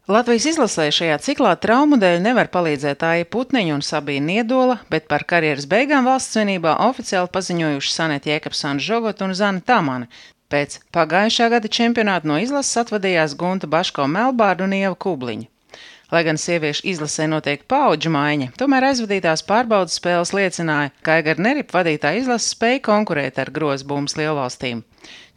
Latvijas izlasē šajā ciklā traumu dēļ nevar palīdzēt Aija Putniņa un Sabīna Niedola, bet par karjeras beigām valsts svinībā oficiāli paziņojuši Sanete Jēkabsone Žogota un Zane Tamane. Pēc pagājušā gada čempionāta no izlases atvadījās Gunta Baško Melbārda un Ieva Kubliņa. Lai gan sieviešu izlasē notiek paudžu maiņa, tomēr aizvadītās pārbaudes spēles liecināja, ka Aigara Nerip vadītā izlase spēja konkurēt ar grozbumbas lielvalstīm.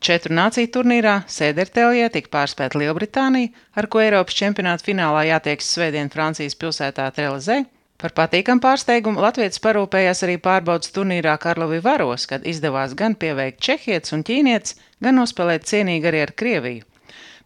4 nāciju turnīrā Sēderteljē tika pārspēta Lielbritānija, ar ko Eiropas čempionāta finālā jātiekas svētdien Francijas pilsētā Trelezē. Par patīkamu pārsteigumu latvietis parūpējās arī pārbaudes turnīrā Karlovy Varos, kad izdevās gan pieveikt čehietis un ķīnietis, gan nospēlēt cienīgi arī ar Krieviju.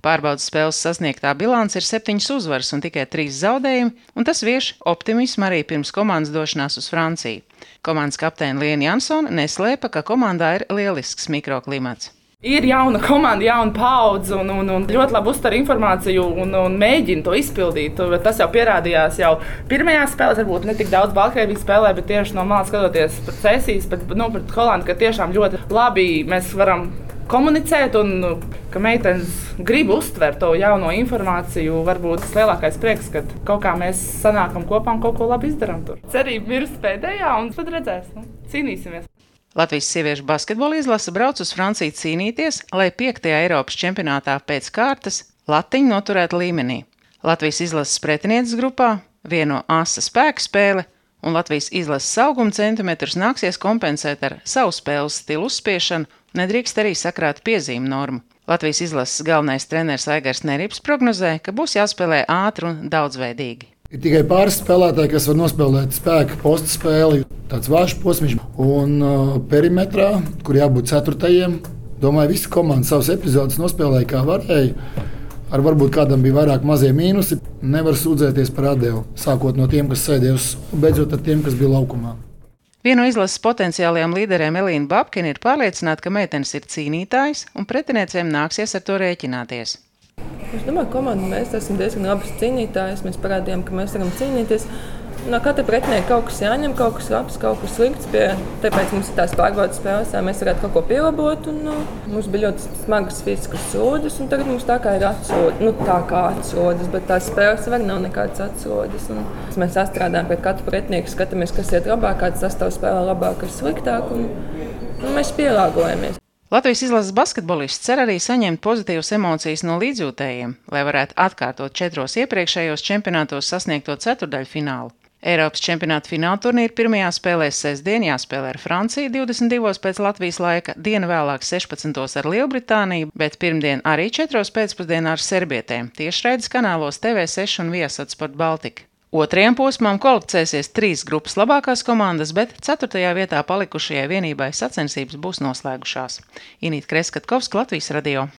Pārbaudes spēles sasniegtā bilance ir 7 uzvaras un tikai 3 zaudējumi, un tas vieš optimismu arī pirms komandas došanās uz Franciju. Komandas kapteine Liena Jansone neslēpa, ka komandā ir lielisks mikroklimats. Ir jauna komanda, jauna paudze un ļoti labi uztver informāciju un mēģina to izpildīt. Tas jau pierādījās jau pirmajās spēlēs, varbūt ne tik daudz Baltkrievijas spēlē, bet tieši no malas skatoties pret Cēsīs, pret Holandu, ka tiešām ļoti labi mēs varam komunicēt un ka meitenes grib uztvert to jauno informāciju. Varbūt tas lielākais prieks, ka kaut kā mēs sanākam kopā un kaut ko labi izdarām tur. Cerība mirst pēdējā un tad redzēs, cīnīsimies. Latvijas sieviešu basketbola izlase brauc uz Franciju cīnīties, lai 5. Eiropas čempionātā pēc kārtas latiņu noturētu līmenī. Latvijas izlases pretinieces grupā vieno asa spēku spēle, un Latvijas izlases auguma centimetrus nāksies kompensēt ar savu spēles stilu uzspiešanu, nedrīkst arī sakrāt piezīmu normu. Latvijas izlases galvenais treneris Aigars Nerips prognozē, ka būs jāspēlē ātri un daudzveidīgi. Ir tikai pāris spēlētāji, kas var nospēlēt spēka posta spēli, tāds vājš posms un perimetrā, kur jābūt 4. Domāju, visi komandas savas epizodes nospēlēja kā varēja. Ar varbūt kādam bija vairāk mazie mīnusi. Nevar sūdzēties par atdevu, sākot no tiem, kas sēdēja uz, beidzot ar tiem, kas bija laukumā. Viena no izlases potenciālajām līderēm Elīna Babkina ir pārliecināta, ka meitenes ir cīnītājs un pretiniecēm nāksies ar to rēķināties. Es domāju, ka komanda mēs esam diezgan labas cīnītājas. Mēs parādījām, ka mēs varam cīnīties. No katra pretinieka kaut kas jāņem, kaut kas labs, kaut kas slikts. Tāpēc mums ir tās pārbaudes spēles, lai mēs varētu kaut ko pielabot. Mums bija ļoti smagas fiziskas sodas, un tagad mums tā kā ir atsodas, bet tās spēles var nav nekādas atsodas. Mēs sastrādājam pret katru pretinieku, skatāmies, kas iet labāk, kāds sastāvs spēlē labāk, kas sliktāk, un mēs pielāgojamies. Latvijas izlases basketbolists cer arī saņemt pozitīvas emocijas no līdzjūtējiem, lai varētu atkārtot 4 iepriekšējos čempionātos sasniegto ceturdaļfinālu. Eiropas čempionāta fināla turnīra pirmajā spēlēs sestdien jāspēlē ar Franciju 22 pēc Latvijas laika, dienu vēlāk 16 ar Lielbritāniju, bet pirmdien arī 4 pēcpusdienā ar serbietēm, tiešraides kanālos TV6 un Viasat Sport Baltika. 2. posmām kvalificēsies 3 grupas labākās komandas, bet 4. vietā palikušajai vienībai sacensības būs noslēgušās. Inīta Kreskatkovska, Latvijas radio.